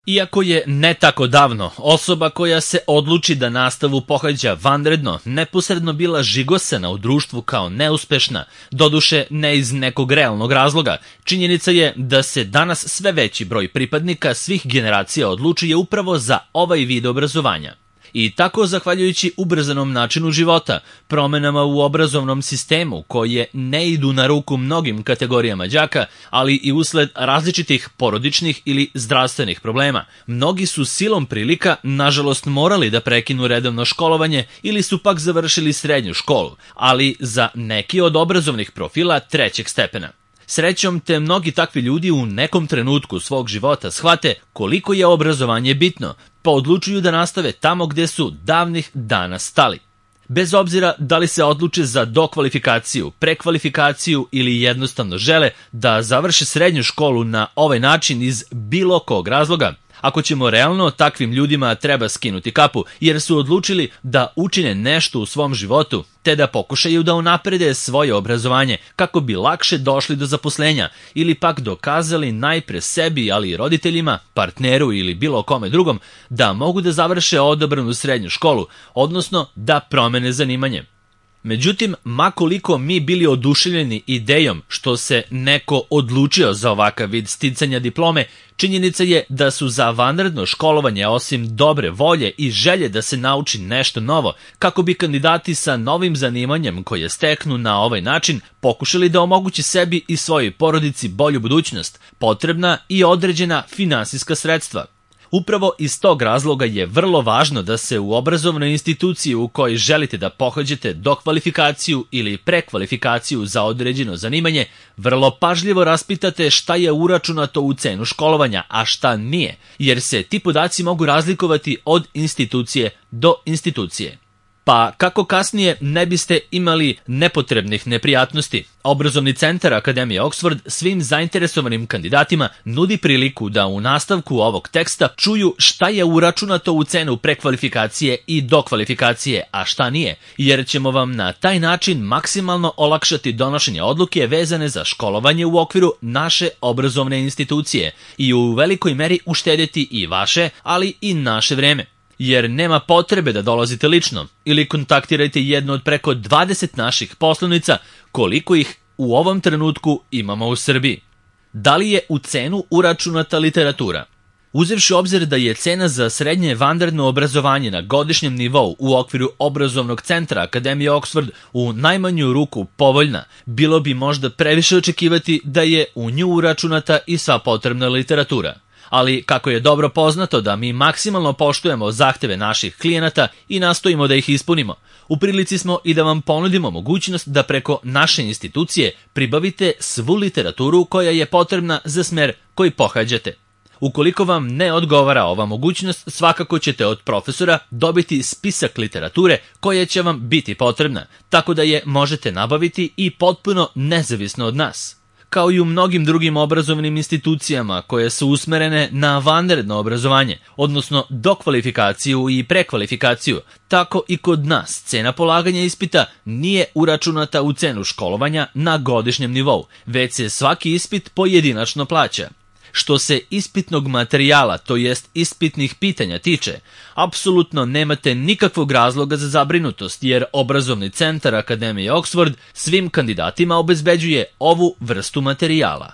Iako je ne tako davno osoba koja se odluči da nastavu pohađa vanredno neposredno bila žigosana u društvu kao neuspešna, doduše ne iz nekog realnog razloga, činjenica je da se danas sve veći broj pripadnika svih generacija odlučuje upravo za ovaj vid obrazovanja. I tako, zahvaljujući ubrzanom načinu života, promenama u obrazovnom sistemu koje ne idu na ruku mnogim kategorijama đaka, ali i usled različitih porodičnih ili zdravstvenih problema, mnogi su silom prilika, nažalost, morali da prekinu redovno školovanje ili su pak završili srednju školu, ali za neki od obrazovnih profila trećeg stepena. Srećom te mnogi takvi ljudi u nekom trenutku svog života shvate koliko je obrazovanje bitno, pa odlučuju da nastave tamo gde su davnih dana stali. Bez obzira da li se odluče za dokvalifikaciju, prekvalifikaciju ili jednostavno žele da završe srednju školu na ovaj način iz bilo kog razloga, ako ćemo realno, takvim ljudima treba skinuti kapu, jer su odlučili da učine nešto u svom životu, te da pokušaju da unaprede svoje obrazovanje kako bi lakše došli do zaposlenja ili pak dokazali najpre sebi, ali i roditeljima, partneru ili bilo kome drugom da mogu da završe odabranu srednju školu, odnosno da promene zanimanje. Međutim, makoliko mi bili oduševljeni idejom što se neko odlučio za ovakav vid sticanja diplome, činjenica je da su za vanredno školovanje, osim dobre volje i želje da se nauči nešto novo, kako bi kandidati sa novim zanimanjem koje steknu na ovaj način pokušali da omogući sebi i svojoj porodici bolju budućnost, potrebna i određena finansijska sredstva. Upravo iz tog razloga je vrlo važno da se u obrazovnoj instituciji u kojoj želite da pohađate dokvalifikaciju ili prekvalifikaciju za određeno zanimanje, vrlo pažljivo raspitate šta je uračunato u cenu školovanja, a šta nije, jer se ti podaci mogu razlikovati od institucije do institucije. Pa kako kasnije ne biste imali nepotrebnih neprijatnosti, Obrazovni centar Akademije Oxford svim zainteresovanim kandidatima nudi priliku da u nastavku ovog teksta čuju šta je uračunato u cenu prekvalifikacije i dokvalifikacije, a šta nije, jer ćemo vam na taj način maksimalno olakšati donošenje odluke vezane za školovanje u okviru naše obrazovne institucije i u velikoj meri uštedeti i vaše, ali i naše vreme. Jer nema potrebe da dolazite lično ili kontaktirajte jednu od preko 20 naših poslovnica, koliko ih u ovom trenutku imamo u Srbiji. Da li je u cenu uračunata literatura? Uzevši obzir da je cena za srednje vanredno obrazovanje na godišnjem nivou u okviru Obrazovnog centra Akademije Oxford u najmanju ruku povoljna, bilo bi možda previše očekivati da je u nju uračunata i sva potrebna literatura. Ali kako je dobro poznato da mi maksimalno poštujemo zahteve naših klijenata i nastojimo da ih ispunimo, u prilici smo i da vam ponudimo mogućnost da preko naše institucije pribavite svu literaturu koja je potrebna za smer koji pohađate. Ukoliko vam ne odgovara ova mogućnost, svakako ćete od profesora dobiti spisak literature koja će vam biti potrebna, tako da je možete nabaviti i potpuno nezavisno od nas. Kao i u mnogim drugim obrazovnim institucijama koje su usmerene na vanredno obrazovanje, odnosno dokvalifikaciju i prekvalifikaciju, tako i kod nas cena polaganja ispita nije uračunata u cenu školovanja na godišnjem nivou, već se svaki ispit pojedinačno plaća. Što se ispitnog materijala, to jest ispitnih pitanja tiče, apsolutno nemate nikakvog razloga za zabrinutost, jer Obrazovni centar Akademije Oxford svim kandidatima obezbeđuje ovu vrstu materijala.